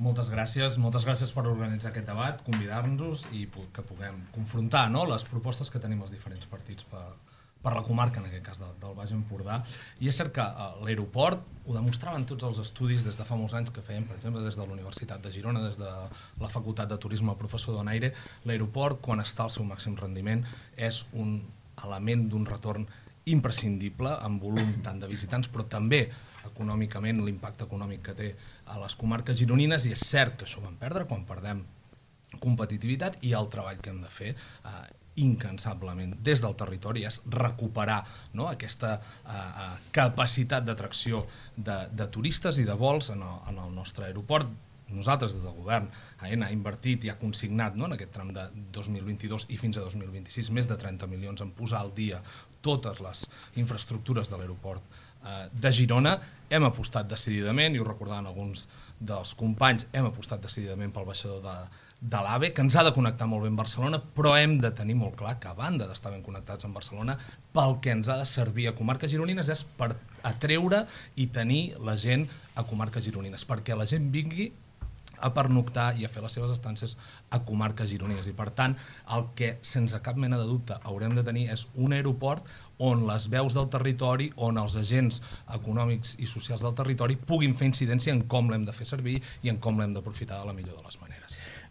Moltes gràcies per organitzar aquest debat, convidar-nos i que puguem confrontar, no?, les propostes que tenim els diferents partits per la comarca, en aquest cas del Baix Empordà. I és cert que l'aeroport, ho demostraven tots els estudis des de fa molts anys que fèiem, per exemple, des de la Universitat de Girona, des de la Facultat de Turisme, el professor Donaire, l'aeroport, quan està al seu màxim rendiment, és un element d'un retorn imprescindible, amb volum tant de visitants, però també econòmicament, l'impacte econòmic que té a les comarques gironines, i és cert que això ho vam perdre quan perdem competitivitat, i el treball que hem de fer incansablement des del territori és recuperar, no?, aquesta capacitat d'atracció de turistes i de vols en el nostre aeroport. Nosaltres, des del govern, AENA ha invertit i ha consignat, no?, en aquest tram de 2022 i fins a 2026 més de 30 milions en posar al dia totes les infraestructures de l'aeroport de Girona. Hem apostat decididament, i ho recordaven alguns dels companys, hem apostat decididament pel baixador de l'AVE, que ens ha de connectar molt bé amb Barcelona, però hem de tenir molt clar que a banda d'estar ben connectats amb Barcelona, pel que ens ha de servir a comarques gironines és per atreure i tenir la gent a comarques gironines, perquè la gent vingui a pernoctar i a fer les seves estàncies a comarques gironines. I per tant, el que sense cap mena de dubte haurem de tenir és un aeroport on les veus del territori, on els agents econòmics i socials del territori puguin fer incidència en com l'hem de fer servir i en com l'hem d'aprofitar de la millor de les maneres.